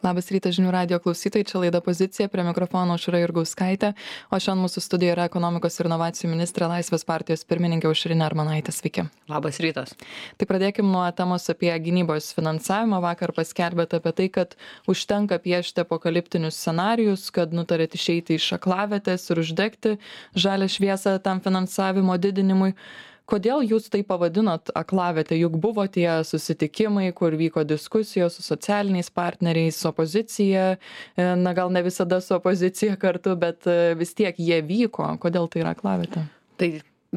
Labas rytas žinių radijo klausytojai, čia laida Pozicija, prie mikrofono Aušra Jurgauskaitė, o šiandien mūsų studijoje yra ekonomikos ir inovacijų ministrė Laisvės partijos pirmininkė Aušrinė Armonaitė. Sveiki. Labas rytas. Tai pradėkim nuo temos apie gynybos finansavimą. Vakar paskelbėte apie tai, kad užtenka piešti apokaliptinius scenarijus, kad nutarėt išeiti iš aklavietės ir uždegti žalią šviesą tam finansavimo didinimui. Kodėl jūs tai pavadinot aklavietę? Juk buvo tie susitikimai, kur vyko diskusijos su socialiniais partneriais, opozicija, na gal ne visada su opozicija kartu, bet vis tiek jie vyko. Kodėl tai yra aklavietė? Tai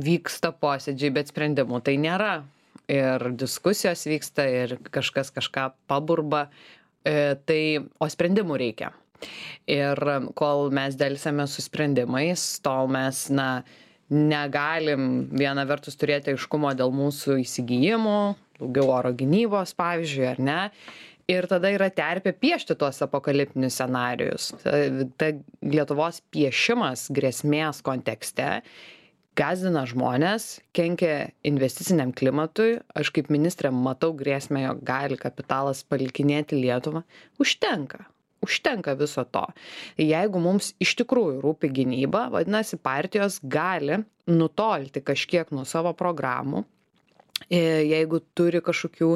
vyksta posėdžiai, bet sprendimų tai nėra. Ir diskusijos vyksta, ir kažkas kažką paburba, o sprendimų reikia. Ir kol mes delsėme su sprendimais, tol mes, negalim viena vertus turėti aiškumo dėl mūsų įsigijimų, daugiau oro gynybos, pavyzdžiui, ar ne. Ir tada yra terpė piešti tuos apokaliptinius scenarijus. Ta Lietuvos piešimas grėsmės kontekste gąsdina žmonės, kenkia investiciniam klimatui. Aš kaip ministrė matau grėsmę, jog gali kapitalas palikinėti Lietuvą. Užtenka viso to. Jeigu mums iš tikrųjų rūpi gynyba, vadinasi, partijos gali nutolti kažkiek nuo savo programų, jeigu turi kažkokių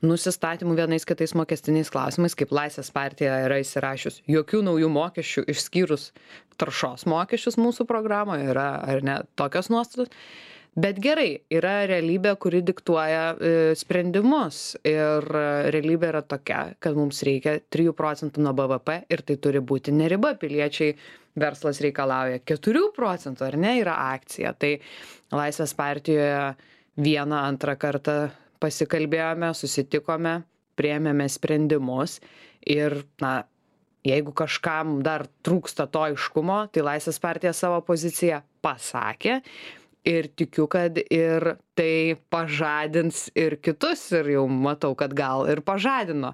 nusistatymų vienais kitais mokestiniais klausimais, kaip Laisvės partija yra įsirašius, jokių naujų mokesčių išskyrus taršos mokesčius mūsų programoje yra, ar ne, tokios nuostatos. Bet gerai, yra realybė, kuri diktuoja sprendimus ir realybė yra tokia, kad mums reikia 3% nuo BVP ir tai turi būti ne riba. Piliečiai, verslas reikalauja 4%, ar ne, yra akcija. Tai Laisvės partijoje antrą kartą pasikalbėjome, susitikome, priėmėme sprendimus ir, jeigu kažkam dar trūksta to aiškumo, tai Laisvės partija savo poziciją pasakė. Ir tikiu, kad ir tai pažadins ir kitus, ir jau matau, kad gal ir pažadino.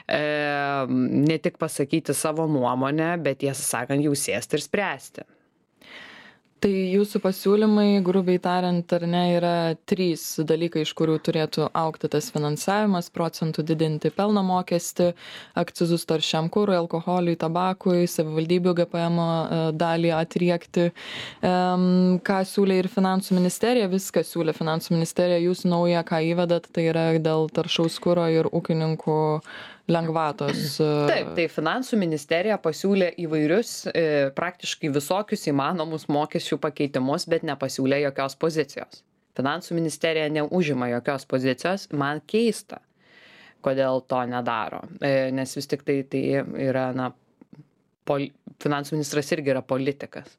Ne tik pasakyti savo nuomonę, bet tiesą sakant, jau sėsti ir spręsti. Tai jūsų pasiūlymai, grubiai tariant, ar ne, yra 3 dalykai, iš kurių turėtų augti tas finansavimas: procentų didinti pelno mokestį, akcizus taršiam kurui, alkoholiui, tabakui, savivaldybių GPM dalį atriekti. Ką siūlė ir finansų ministerija, viską siūlė finansų ministerija, jūs naują, ką įvedat, tai yra dėl taršaus kuro ir ūkininkų lengvatos. Taip, tai finansų ministerija pasiūlė įvairius, praktiškai visokius įmanomus mokesčių pakeitimus, bet nepasiūlė jokios pozicijos. Finansų ministerija neužima jokios pozicijos, man keista, kodėl to nedaro. Nes vis tik tai yra, finansų ministras irgi yra politikas.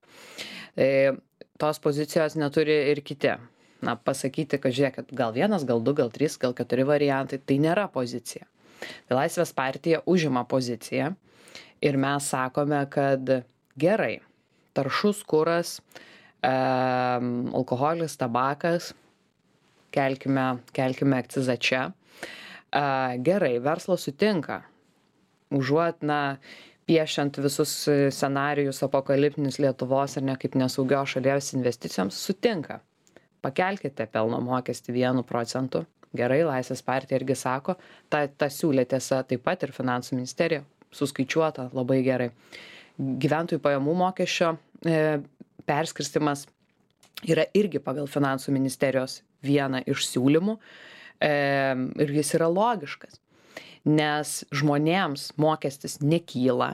Tos pozicijos neturi ir kiti. Pasakyti, kad žiūrėkit, gal 1, gal 2, gal 3, gal 4 variantai, tai nėra pozicija. Tai Laisvės partija užima poziciją ir mes sakome, kad gerai, taršus kuras, alkoholis, tabakas, kelkime akcizą čia. Gerai, verslas sutinka, užuot, piešiant visus scenarijus apokaliptinius Lietuvos ar ne kaip nesaugios šalies investicijoms, sutinka. Pakelkite pelno mokestį 1%. Gerai, Laisvės partija irgi sako, ta siūlė tiesa taip pat ir finansų ministerija, suskaičiuota labai gerai. Gyventojų pajamų mokesčio perskirstimas yra irgi pagal finansų ministerijos vieną iš siūlymų ir jis yra logiškas, nes žmonėms mokestis nekyla,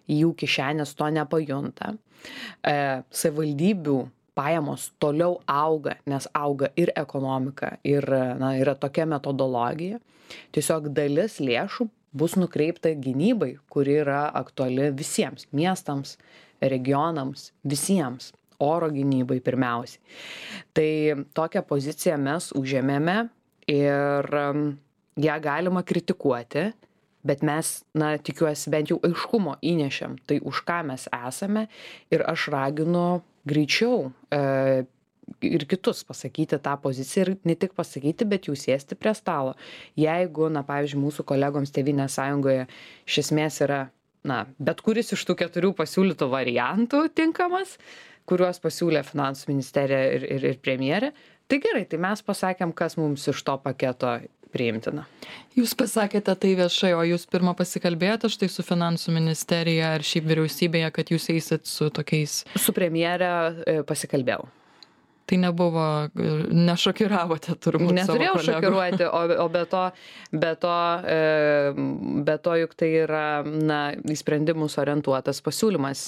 jų kišenės to nepajunta, savivaldybių pajamos toliau auga, nes auga ir ekonomika, ir yra tokia metodologija. Tiesiog dalis lėšų bus nukreipta gynybai, kuri yra aktuali visiems miestams, regionams, visiems, oro gynybai pirmiausiai. Tai tokią poziciją mes užėmėme ir ją galima kritikuoti, bet mes, tikiuosi, bent jau aiškumo įnešėm, tai už ką mes esame, ir aš raginu greičiau ir kitus pasakyti tą poziciją ir ne tik pasakyti, bet jau sėsti prie stalo. Jeigu, pavyzdžiui, mūsų kolegoms Tėvynės sąjungoje iš esmės yra, bet kuris iš tų 4 pasiūlytų variantų tinkamas, kuriuos pasiūlė finansų ministerija ir premjerė, tai gerai, tai mes pasakėm, kas mums iš to paketo priimtina. Jūs pasakėte tai viešai, o jūs pirmą pasikalbėjote štai su finansų ministerija ar šiaip vyriausybėje, kad jūs eisit su tokiais... Su premjere pasikalbėjau. Tai nebuvo, nešokiravote turbūt savo kolegų. Neturėjau šokiruoti, o be to juk tai yra, na, į sprendimus orientuotas pasiūlymas.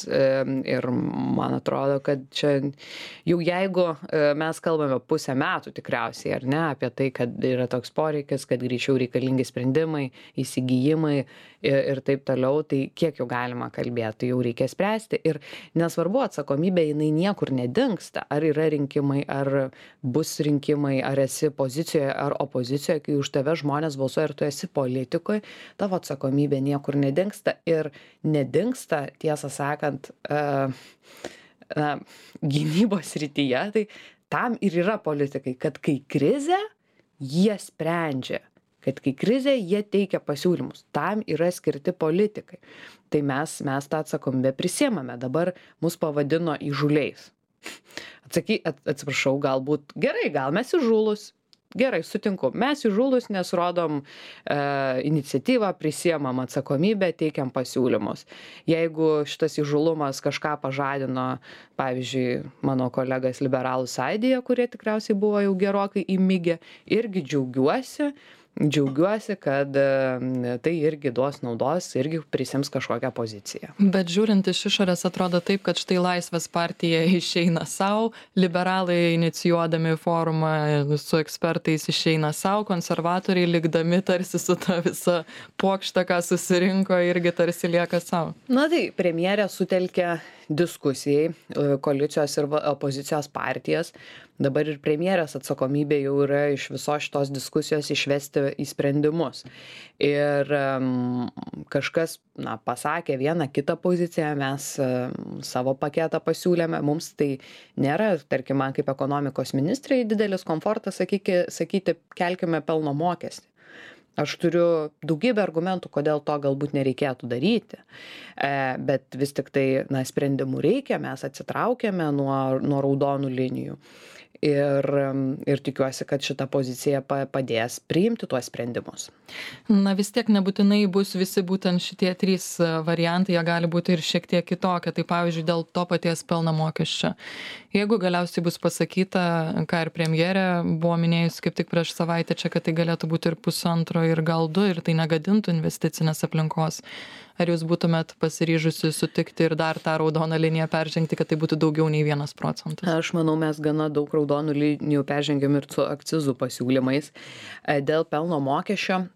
Ir man atrodo, kad čia jau jeigu mes kalbame pusę metų tikriausiai, ar ne, apie tai, kad yra toks poreikis, kad greičiau reikalingi sprendimai, įsigijimai ir taip toliau, tai kiek jau galima kalbėti, jau reikia spręsti. Ir nesvarbu, atsakomybė jinai niekur nedingsta. Ar yra rinkimai, ar bus rinkimai, ar esi pozicijoje, ar opozicijoje, kai už tave žmonės balsuoja ir tu esi politikoje, tavo atsakomybė niekur nedingsta. Ir nedingsta, tiesą sakant, gynybos srityje, tai tam ir yra politikai, kad kai krizė, jie sprendžia. Kad kai krizė, jie teikia pasiūlymus. Tam yra skirti politikai. Tai mes tą atsakomybę prisiemame. Dabar mus pavadino įžūliais. Atsiprašau, galbūt gerai, gal mes įžūlus. Gerai, sutinku. Mes įžūlus, nes rodom iniciatyvą, prisiemam atsakomybę, teikiam pasiūlymus. Jeigu šitas įžūlumas kažką pažadino, pavyzdžiui, mano kolegas liberalų sąjūdyje, kurie tikriausiai buvo jau gerokai įmigę, irgi džiaugiuosi, kad tai irgi duos naudos, irgi prisims kažkokią poziciją. Bet žiūrint iš išorės atrodo taip, kad štai Laisvės partija išeina savo, liberalai inicijuodami forumą su ekspertais išeina savo, konservatoriai likdami tarsi su ta visa puokšta, ką susirinko, irgi tarsi lieka savo. Na tai premjerė sutelkė diskusijai koalicijos ir opozicijos partijas. Dabar ir premjerės atsakomybė jau yra iš visos šitos diskusijos išvesti į sprendimus. Ir kažkas, pasakė vieną kitą poziciją, mes savo paketą pasiūlėme, mums tai nėra, tarkim, man kaip ekonomikos ministrai didelis komfortas sakyti, kelkime pelno mokestį. Aš turiu daugybę argumentų, kodėl to galbūt nereikėtų daryti, bet vis tik tai, sprendimų reikia, mes atsitraukėme nuo raudonų linijų. Ir tikiuosi, kad šita pozicija padės priimti tuos sprendimus. Vis tiek nebūtinai bus visi būtent šitie trys variantai, jie gali būti ir šiek tiek kitokie. Tai pavyzdžiui, dėl to paties pelno mokesčio. Jeigu galiausiai bus pasakyta, ką ir premjerė buvo minėjus kaip tik prieš savaitę čia, kad tai galėtų būti ir 1,5 ir gal 2 ir tai negadintų investicinės aplinkos. Ar jūs būtumėt pasiryžusi sutikti ir dar tą raudoną liniją peržengti, kad tai būtų daugiau nei 1%? Aš manau, mes gana daug raudonų linijų peržengėm ir su akcizų pasiūlymais. Dėl pelno mokesčio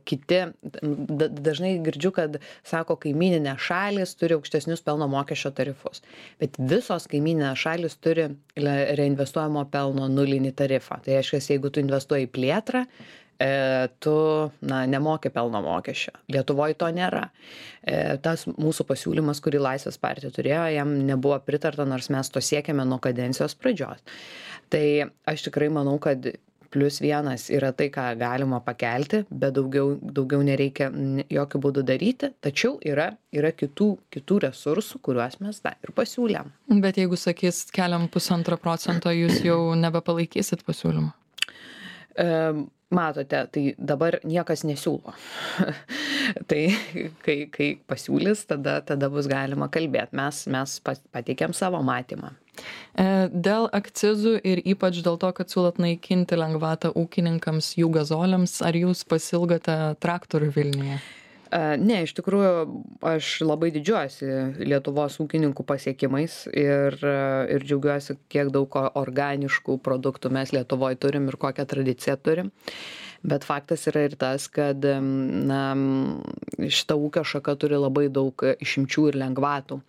kiti, dažnai girdžiu, kad sako, kaimyninės šalys turi aukštesnius pelno mokesčio tarifus. Bet visos kaimyninės šalys turi reinvestuojamo pelno nulinį tarifą. Tai reiškia, jeigu tu investuoji į plėtrą, tu nemoki pelno mokesčio. Lietuvoje to nėra. Tas mūsų pasiūlymas, kurį Laisvės partija turėjo, jam nebuvo pritarta, nors mes to siekėme nuo kadencijos pradžios. Tai aš tikrai manau, kad +1 yra tai, ką galima pakelti, bet daugiau nereikia jokių būdų daryti, tačiau yra kitų resursų, kuriuos mes ir pasiūlėm. Bet jeigu sakys, keliam 1,5%, jūs jau nebepalaikysit pasiūlymą? Matote, tai dabar niekas nesiūlo. Tai kai pasiūlys, tada bus galima kalbėti. Mes pateikėm savo matymą. Dėl akcizų ir ypač dėl to, kad siūlot naikinti lengvatą ūkininkams, jų gazoliams, ar jūs pasilgote traktorių Vilniuje? Ne, iš tikrųjų, aš labai didžiuojuosi Lietuvos ūkininkų pasiekimais ir džiaugiuosi, kiek daug organiškų produktų mes Lietuvoje turim ir kokią tradiciją turim. Bet faktas yra ir tas, kad šita ūkio šaka turi labai daug išimčių ir lengvatų.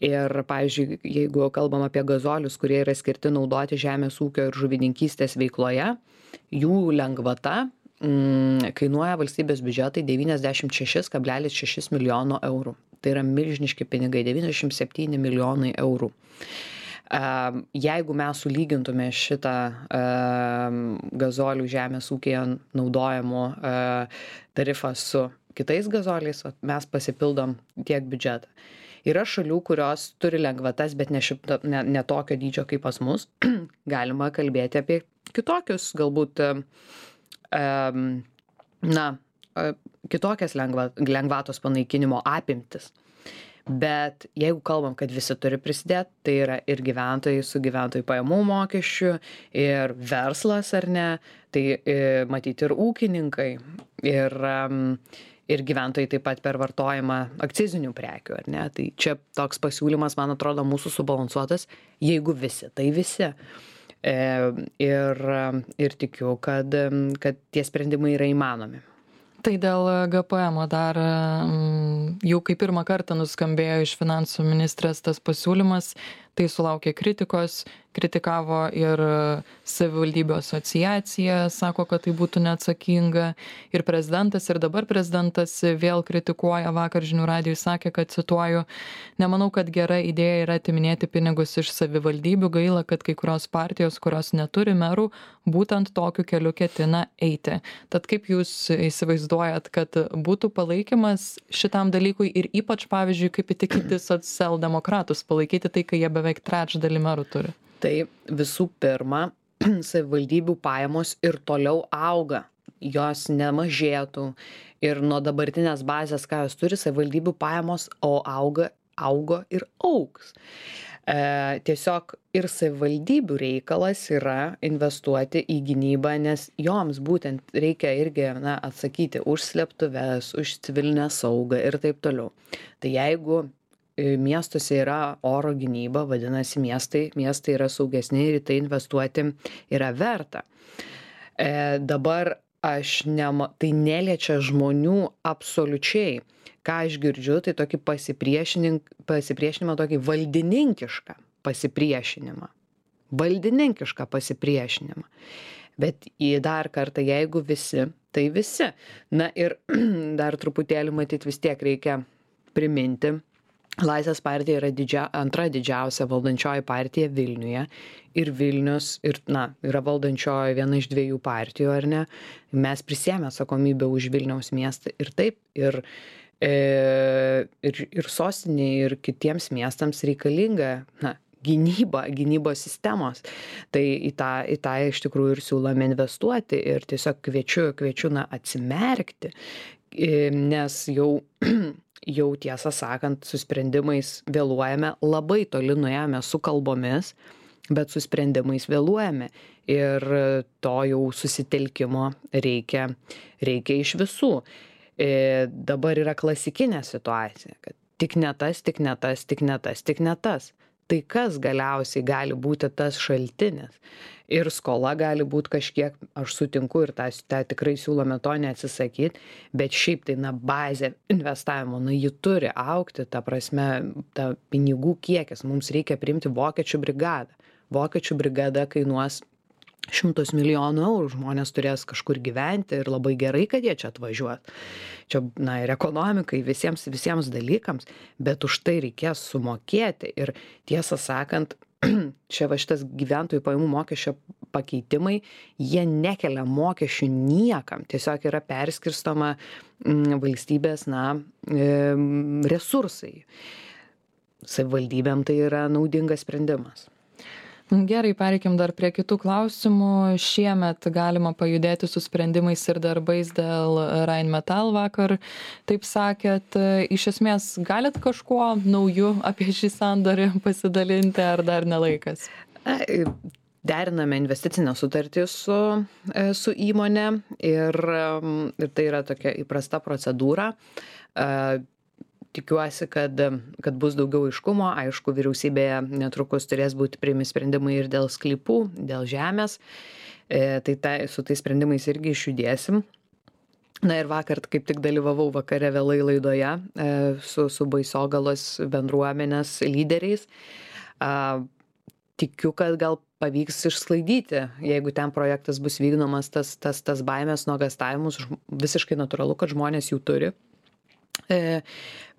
Ir, pavyzdžiui, jeigu kalbam apie gazolius, kurie yra skirti naudoti žemės ūkio ir žuvininkystės veikloje, jų lengvata kainuoja valstybės biudžetai 96,6 milijono eurų. Tai yra milžiniški pinigai, 97 milijonai eurų. Jeigu mes sulygintume šitą gazolių žemės ūkyje naudojimo tarifą su kitais gazoliais, mes pasipildom tiek biudžetą. Yra šalių, kurios turi lengvatas, bet ne tokio dydžio kaip pas mus. Galima kalbėti apie kitokius galbūt kitokias lengvatos panaikinimo apimtis. Bet jeigu kalbam, kad visi turi prisidėti, tai yra ir gyventojai su gyventojų pajamų mokesčiu, ir verslas, ar ne, tai matyti ir ūkininkai, ir gyventojai taip pat per vartojimą akcizinių prekių, ar ne. Tai čia toks pasiūlymas, man atrodo, mūsų subalansuotas, jeigu visi, tai visi. Ir tikiu, kad tie sprendimai yra įmanomi. Tai dėl GPM dar jau kai pirmą kartą nuskambėjo iš finansų ministrės tas pasiūlymas, tai sulaukė kritikos, kritikavo ir savivaldybių asociacija, sako, kad tai būtų neatsakinga, ir prezidentas, ir dabar prezidentas vėl kritikuoja. Vakar žinių radijui sakė, kad, cituoju, nemanau, kad gera idėja yra atiminėti pinigus iš savivaldybių, gaila, kad kai kurios partijos, kurios neturi merų, būtent tokiu keliu ketina eiti. Tad kaip jūs įsivaizduojat, kad būtų palaikymas šitam dalykui ir ypač, pavyzdžiui, kaip įtikinti socialdemokratus palaikyti tai, kai jie beveik trečdalį merų turi? Tai visų pirma, savivaldybių pajamos ir toliau auga, jos nemažėtų ir nuo dabartinės bazės, ką jos turi, savivaldybių pajamos augo ir augs. Tiesiog ir savivaldybių reikalas yra investuoti į gynybą, nes joms būtent reikia irgi atsakyti už slėptuves, už civilinę saugą ir taip toliau. Tai jeigu miestuose yra oro gynyba, vadinasi miestai yra saugesni ir į tai investuoti yra verta. Dabar tai neliečia žmonių absoliučiai. Ką aš girdžiu, tai tokį pasipriešinimą, tokį valdininkišką pasipriešinimą. Valdininkišką pasipriešinimą. Bet dar kartą, jeigu visi, tai visi. Na ir dar truputėlį matyti vis tiek reikia priminti. Laisvės partija yra antra didžiausia valdančioji partija Vilniuje. Ir Vilnius yra valdančioji viena iš dviejų partijų, ar ne? Mes prisėmė atsakomybę už Vilniaus miestą ir taip. Ir sostinėje, ir kitiems miestams reikalinga gynybos sistemos. Tai į tą iš tikrųjų ir siūlome investuoti ir tiesiog kviečiu atsimerkti, nes jau tiesą sakant, su sprendimais vėluojame, labai toli nuėjome su kalbomis, bet su sprendimais vėluojame ir to jau susitelkimo reikia iš visų. Dabar yra klasikinė situacija, kad tik ne tas, tik ne tas, tik ne tas, tik ne tas. Tai kas galiausiai gali būti tas šaltinis? Ir skola gali būti kažkiek, aš sutinku ir tą tikrai siūlome to neatsisakyti, bet šiaip tai bazė investavimo, ji turi augti, ta prasme, ta pinigų kiekis, mums reikia priimti vokiečių brigadą. Vokiečių brigada kainuos 100 milijonų eurų, žmonės turės kažkur gyventi ir labai gerai, kad jie čia atvažiuos. Čia, ir ekonomikai, visiems dalykams, bet už tai reikės sumokėti ir tiesą sakant, čia šitas gyventojų pajamų mokesčio pakeitimai, jie nekelia mokesčių niekam, tiesiog yra perskirstoma valstybės resursai. Savivaldybėm tai yra naudingas sprendimas. Gerai, pereikim dar prie kitų klausimų. Šiemet galima pajudėti su sprendimais ir darbais dėl Rheinmetall vakar, taip sakėt. Iš esmės, galit kažkuo nauju apie šį sandorį pasidalinti, ar dar nelaikas? Deriname investicinę sutartį su įmonė ir tai yra tokia įprasta procedūra. Tikiuosi, kad bus daugiau aiškumo. Aišku, vyriausybėje netrukus turės būti priimi sprendimai ir dėl sklypų, dėl žemės. Tai su tais sprendimais irgi išjudėsim. Ir vakar kaip tik dalyvavau vakare vėlai laidoje su Baisogalos bendruomenės lyderiais. Tikiu, kad gal pavyks išsklaidyti, jeigu ten projektas bus vykdomas, tas baimės, nuogąstavimus. Visiškai natūralu, kad žmonės jų turi.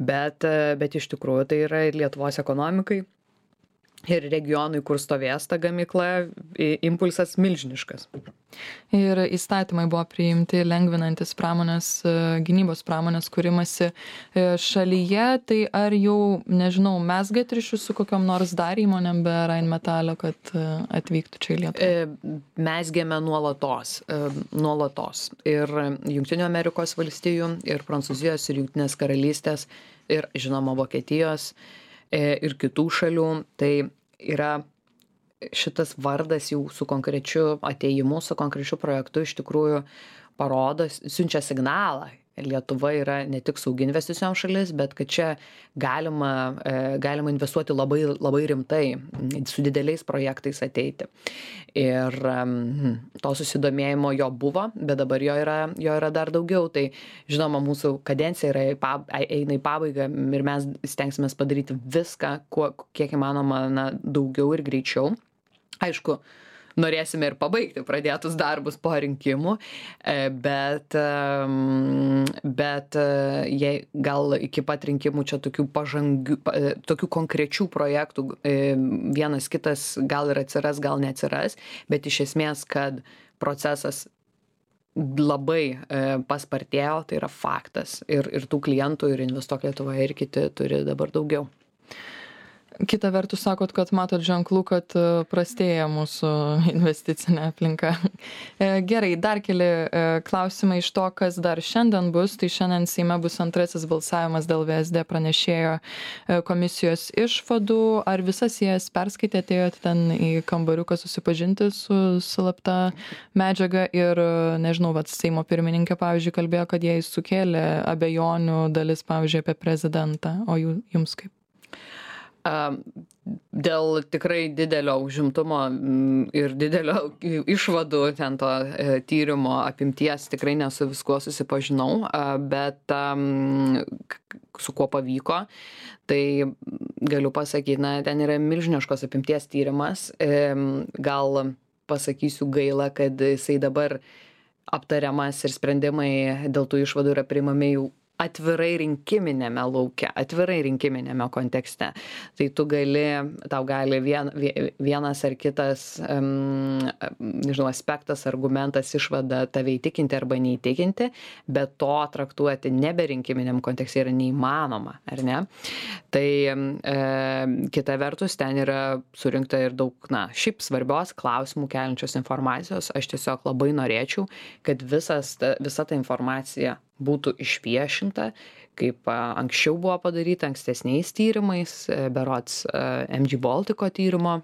Bet iš tikrųjų tai yra ir Lietuvos ekonomikai, ir regionui, kur stovės ta gamykla, impulsas milžiniškas. Ir įstatymai buvo priimti lengvinantis gynybos pramonės kūrimasi šalyje, tai ar jau, nežinau, mezgat ryšius su kokiom nors dar įmonėm be Rheinmetall, kad atvyktų čia į Lietuvą? Mezgėme nuolatos. Ir Jungtinių Amerikos valstijų, ir Prancūzijos, ir Jungtinės karalystės, ir žinoma Vokietijos, ir kitų šalių. Tai yra šitas vardas jau su konkrečiu atėjimu, su konkrečiu projektu iš tikrųjų parodo, siunčia signalą. Lietuva yra ne tik saugi investicijom šalis, bet kad čia galima investuoti labai, labai rimtai, su dideliais projektais ateiti. Ir to susidomėjimo jo buvo, bet dabar jo yra dar daugiau. Tai žinoma, mūsų kadencija eina į pabaigą ir mes stengsimės padaryti viską, kiek įmanoma daugiau ir greičiau. Aišku, norėsime ir pabaigti pradėtus darbus po rinkimų, bet jei gal iki pat rinkimų čia tokių konkrečių projektų vienas kitas gal ir atsiras, gal neatsiras, bet iš esmės, kad procesas labai paspartėjo, tai yra faktas. Ir tų klientų, ir Investuok Lietuvoje, ir kiti turi dabar daugiau. Kita vertus, sakot, kad matot ženklų, kad prastėja mūsų investicinė aplinka. Gerai, dar keli klausimai iš to, kas dar šiandien bus. Tai šiandien Seime bus antrasis balsavimas dėl VSD pranešėjo komisijos išvadų. Ar visas jas perskaitėte, atėjote ten į kambariuką susipažinti su slapta medžiaga ir, nežinau, Seimo pirmininkė, pavyzdžiui, kalbėjo, kad jai sukėlė abejonių dalis, pavyzdžiui, apie prezidentą. O jums kaip? Dėl tikrai didelio užimtumo ir didelio išvadų ten to tyrimo apimties tikrai nesu viskuo susipažinau, bet su kuo pavyko, tai galiu pasakyti, ten yra milžiniškos apimties tyrimas. Gal pasakysiu gaila, kad jisai dabar aptariamas ir sprendimai dėl tų išvadų yra priimami jau atvirai rinkiminėme lauke, atvirai rinkiminėme kontekste. Tai tau gali vienas ar kitas, nežinau, aspektas, argumentas, išvada tave įtikinti arba neįtikinti, bet to traktuoti nebe rinkiminiam kontekste yra neįmanoma, ar ne? Tai kita vertus, ten yra surinkta ir daug, šiaip svarbios klausimų keliančios informacijos. Aš tiesiog labai norėčiau, kad visa ta informacija būtų išviešinta, kaip anksčiau buvo padaryta ankstesniais tyrimais, berods MG Baltico tyrimo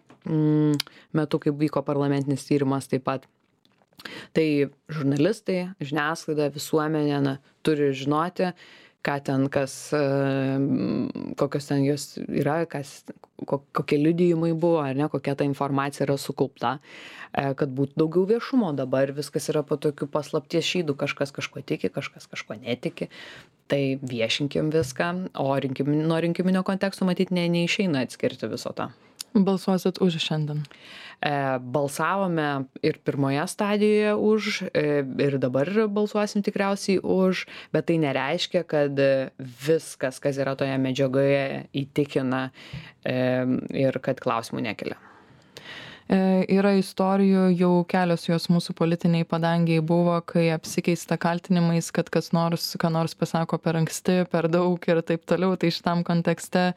metu, kaip vyko parlamentinis tyrimas taip pat. Tai žurnalistai, žiniasklaida, visuomenė turi žinoti, ką ten, kokios ten jos yra, kokie liudijimai buvo, ar ne, kokia ta informacija yra sukaupta, kad būtų daugiau viešumo. Dabar viskas yra po tokių paslapties šydų, kažkas kažko tiki, kažkas kažko netiki. Tai viešinkim viską, o nuo rinkiminio konteksto matyti neišeina atskirti viso to. Balsuosit už šiandien? Balsavome ir pirmoje stadijoje už, ir dabar balsuosim tikriausiai už, bet tai nereiškia, kad viskas, kas yra toje medžiagoje, įtikina ir kad klausimų nekelia. Yra istorijų, jau kelios jos mūsų politiniai padangiai buvo, kai apsikeista kaltinimais, kad ką nors pasako per anksti, per daug ir taip toliau. Tai šitam kontekste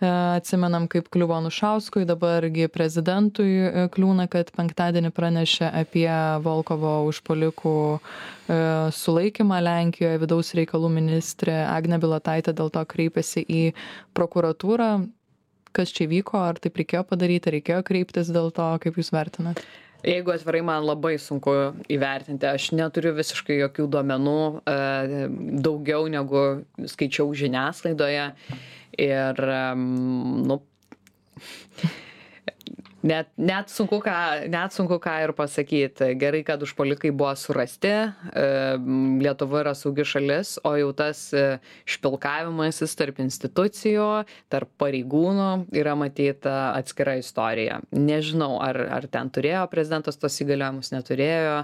atsimenam, kaip kliuvo Anušauskui, dabargi prezidentui kliūna, kad penktadienį pranešė apie Volkovo užpuolikų sulaikymą Lenkijoje. Vidaus reikalų ministrė Agnė Bilotaitė dėl to kreipėsi į prokuratūrą. Kas čia vyko, ar taip reikėjo padaryti, reikėjo kreiptis dėl to, kaip jūs vertinat? Jeigu atvirai, man labai sunku įvertinti. Aš neturiu visiškai jokių duomenų, daugiau negu skaičiau žiniasklaidoje. Ir, net sunku ką ir pasakyti. Gerai, kad užpuolikai buvo surasti, Lietuva yra saugi šalis, o jau tas špilkavimasis tarp institucijų, tarp pareigūnų yra matyta atskira istorija. Nežinau, ar ten turėjo prezidentas tos įgaliojimus, neturėjo.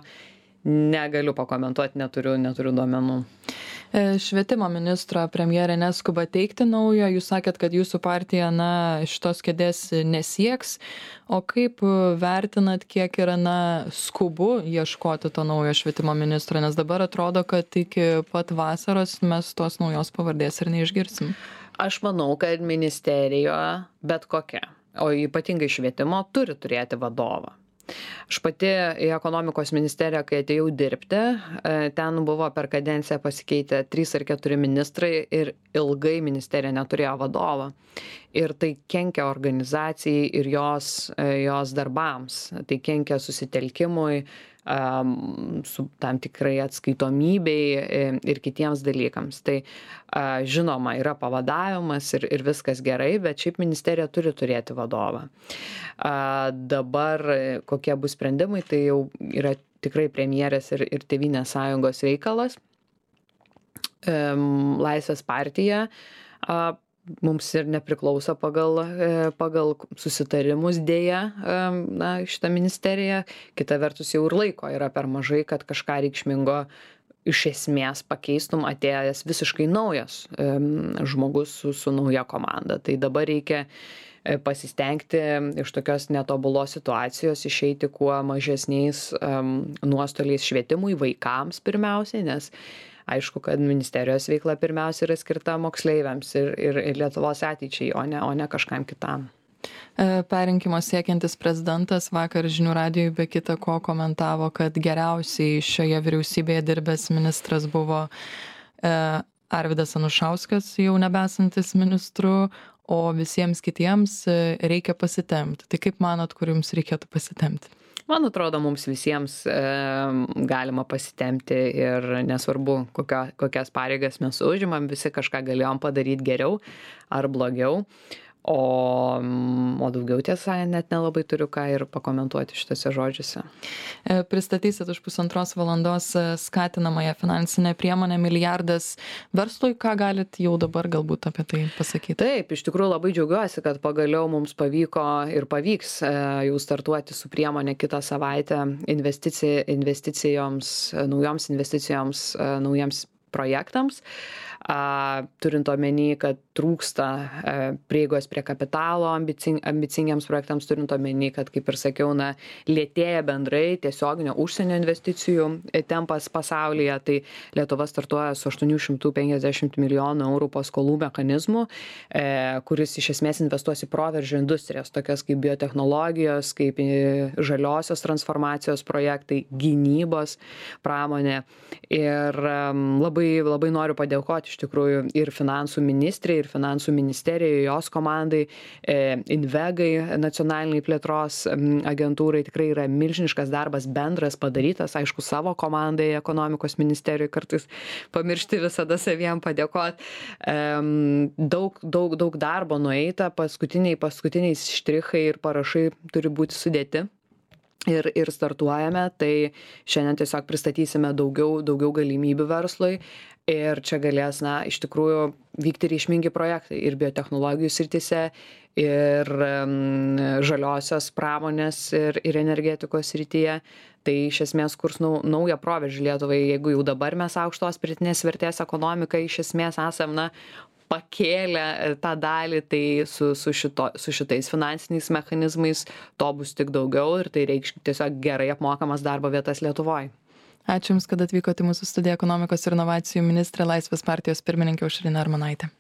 negaliu pakomentuoti, neturiu duomenų. Švietimo ministro premjerė neskuba teikti naujo, jūs sakėt, kad jūsų partija, šitos kėdės nesieks, o kaip vertinat, kiek yra, skubu ieškoti to naujo švietimo ministro, nes dabar atrodo, kad iki pat vasaros mes tos naujos pavardės ir neišgirsim. Aš manau, kad ministerija bet kokia, o ypatingai švietimo, turi turėti vadovą. Aš pati į ekonomikos ministeriją, kai atėjau dirbti, ten buvo per kadenciją pasikeitę 3 ar 4 ministrai ir ilgai ministerija neturėjo vadovo. Ir tai kenkia organizacijai ir jos darbams, tai kenkia susitelkimui, su tam tikrai atskaitomybei ir kitiems dalykams. Tai žinoma, yra pavadavimas ir viskas gerai, bet šiaip ministerija turi turėti vadovą. Dabar kokie bus sprendimai, tai jau yra tikrai premjerės ir Tėvynės sąjungos reikalas. Laisvės partija mums ir nepriklauso pagal susitarimus dėja, šitą ministeriją. Kita vertus jau ir laiko yra per mažai, kad kažką reikšmingo iš esmės pakeistum atėjęs visiškai naujas žmogus su nauja komanda. Tai dabar reikia pasistengti iš tokios netobulos situacijos išeiti kuo mažesniais nuostoliais švietimui, vaikams pirmiausiai, nes aišku, kad ministerijos veikla pirmiausia yra skirta moksleiviams ir Lietuvos ateičiai, o ne kažkam kitam. Perrinkimo siekiantis prezidentas vakar žinių radijui be kita ko komentavo, kad geriausiai šioje vyriausybėje dirbęs ministras buvo Arvydas Anušauskas, jau nebesantis ministru, o visiems kitiems reikia pasitempti. Tai kaip manot, kur jums reikėtų pasitempti? Man atrodo, mums visiems galima pasitempti ir nesvarbu, kokias pareigas mes užimam, visi kažką galėjom padaryti geriau ar blogiau. O daugiau tiesa, net nelabai turiu ką ir pakomentuoti šitose žodžiuose. Pristatysit už 1,5 valandos skatinamąją finansinę priemonę milijardas verslui. Ką galit jau dabar galbūt apie tai pasakyti? Taip, iš tikrųjų labai džiaugiuosi, kad pagaliau mums pavyko ir pavyks jau startuoti su priemonė kitą savaitę investicijoms, naujiems projektams. Turint omeny, kad trūksta prieigos prie kapitalo ambicingiams projektams, turint omeny, kad, kaip ir sakiau, lėtėja bendrai tiesioginio užsienio investicijų tempas pasaulyje, tai Lietuva startuoja su 850 milijonų eurų paskolų mechanizmu, kuris iš esmės investuos į proveržio industrijas, tokias kaip biotechnologijos, kaip žaliosios transformacijos projektai, gynybos pramonė. Ir labai noriu padėkoti iš tikrųjų ir finansų ministrei, ir finansų ministerijai, jos komandai, Invegai, nacionaliniai plėtros agentūrai. Tikrai yra milžiniškas darbas bendras padarytas, aišku, savo komandai, ekonomikos ministerijai kartais pamiršti visada saviem padėkoti. Daug darbo nueita, paskutiniai štrichai ir parašai turi būti sudėti. Ir startuojame, tai šiandien tiesiog pristatysime daugiau galimybių verslui ir čia galės, iš tikrųjų vykti reikšmingi projektai ir biotechnologijų srityse, ir žaliosios pramonės, ir energetikos srityje. Tai iš esmės kurs naują proveržį Lietuvai, jeigu jau dabar mes aukštos pridėtinės vertės ekonomiką iš esmės esam, pakėlę tą dalį, tai su šitais finansiniais mechanizmais to bus tik daugiau ir tai reikš tiesiog gerai apmokamas darbo vietas Lietuvoje. Ačiū Jums, kad atvykote į mūsų studiją, ekonomikos ir inovacijų ministrė, Laisvės partijos pirmininkė Aušrinė Armonaitė.